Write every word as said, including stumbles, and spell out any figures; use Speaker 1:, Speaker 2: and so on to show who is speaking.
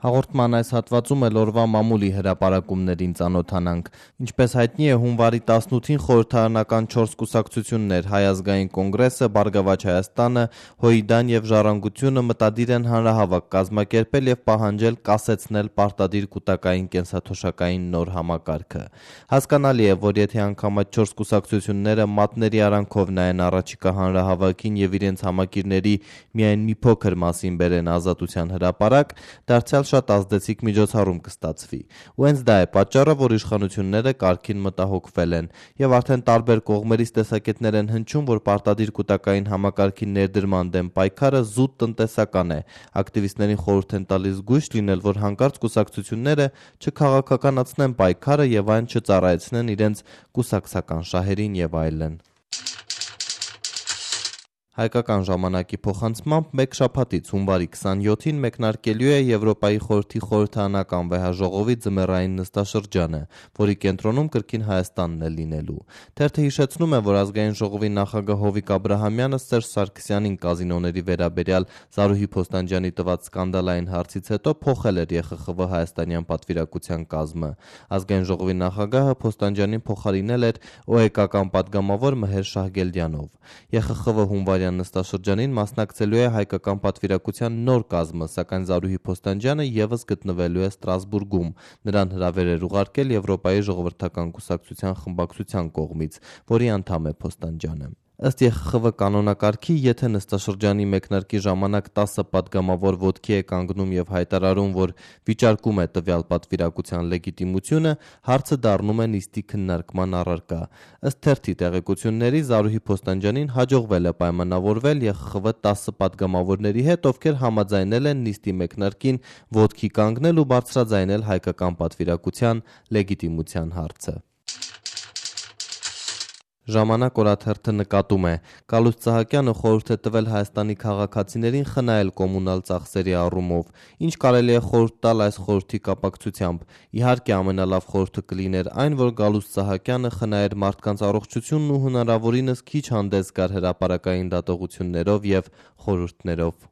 Speaker 1: Հաղորդման այս հատվածում էլ օրվա մամուլի հրապարակումներին ծանոթանանք։ Ինչպես հայտնի է, հունվարի տասնութին խորհրդարանական չորս կուսակցություններ՝ Հայ ազգային կոնգրեսը, Բարգավաճ Հայաստանը, ՀՅԴ-ն եւ Ժառանգությունը մտադիր են հանրահավաք կազմակերպել եւ պահանջել կասեցնել պարտադիր կൂട്ടակային կենսաթոշակային նոր համակարգը։ Հասկանալի է, որ եթե անգամ այդ չորս կուսակցությունները մատների արանքով նայեն առաջիկա հանրահավաքին եւ իրենց համակիրների միայն մի փոքր մասին բերեն Ազատության հրապարակ, դարձյալ շատ ազդեցիկ միջոցառում կստացվի։ Ու հենց դա է պատճառը, որ իշխանությունները կարգին մտահոգվել են եւ արդեն տարբեր կողմերից տեսակետներ են հնչում, որ պարտադիր կൂട്ടակային համակարգի ներդրման դեմ պայքարը զուտ տնտեսական է։ Ակտիվիստներին խորհուրդ են տալիս զգույշ լինել, որ հանկարծ կուսակցությունները չքաղաքականացնեն պայքարը եւ այն չծառայեցնեն իրենց կուսակցական շահերին եւ այլն։ Հայկական ժամանակի փոխանցմամբ մեկ շաբաթից հունվարի քսանյոթին մեկնարկելու է Եվրոպայի խորհրդի խորհրդարանական վեհաժողովի ձմեռային նստաշրջանը, որի կենտրոնում կրկին Հայաստանն է լինելու։ Թերթը հիշեցնում է, որ ազգային ժողովի նախագահ Հովիկ Աբրահամյանը Սերժ Սարգսյանին կազինոների վերաբերյալ Զարուհի Փոստանջյանի տված սկանդալային հարցից հետո փոխել էր ԵԽԽՎ հայաստանյան պատվիրակության կազմը։ Ազգային ժողովի նախագահը Փոստանջյանին փոխարինել էր ՕԵԿ-ական պատգամավոր Մհեր Շահգելդյանով։ ԵԽԽՎ հունվարի նստաշրջանին մասնակցելու է հայկական պատվիրակության նոր կազմը, սակայն Զարուհի Փոստանջյանը եւս գտնվելու է Ստրասբուրգում։ Նրան հրավեր էր ուղարկել Եվրոպայի ժողովրդական կուսակցության խմբակցության կողմից, որի անդամ է Փոստանջյանը։ Ըստ ԵԽԽՎ կանոնակարգի, եթե նստաշրջանի մեկնարկի ժամանակ տասը պատգամավոր ոտքի է կանգնում եւ հայտարարում, որ վիճարկում է տվյալ պատվիրակության լեգիտիմությունը, հարցը դառնում է նիստի քննարկման առարկա։ Ըստ թերթի տեղեկությունների, Զարուհի Փոստանջյանին հաջողվել է պայմանավորվել ԵԽԽՎ տասը պատգամավորների հետ, ովքեր համաձայնել են նիստի մեկնարկին ոտքի կանգնել ու բարձրաձայնել հայկական պատվիրակության լեգիտիմության հարցը։ Ժամանակ օրաթերթը նկատում է. Գալուստ Սահակյանը խորհուրդ է տվել Հայաստանի քաղաքացիներին խնայել կոմունալ ծախսերի առումով։ Ինչ կարելի է խորհուրդ տալ այս խորհրդի կապակցությամբ։ Իհարկե ամենալավ խորհուրդը կլիներ այն, որ Գալուստ Սահակյանը խնայեր մարդկանց առողջությունն ու հնարավորինս քիչ հանդես գար հրապարակային դատողություններով եւ խորհուրդներով։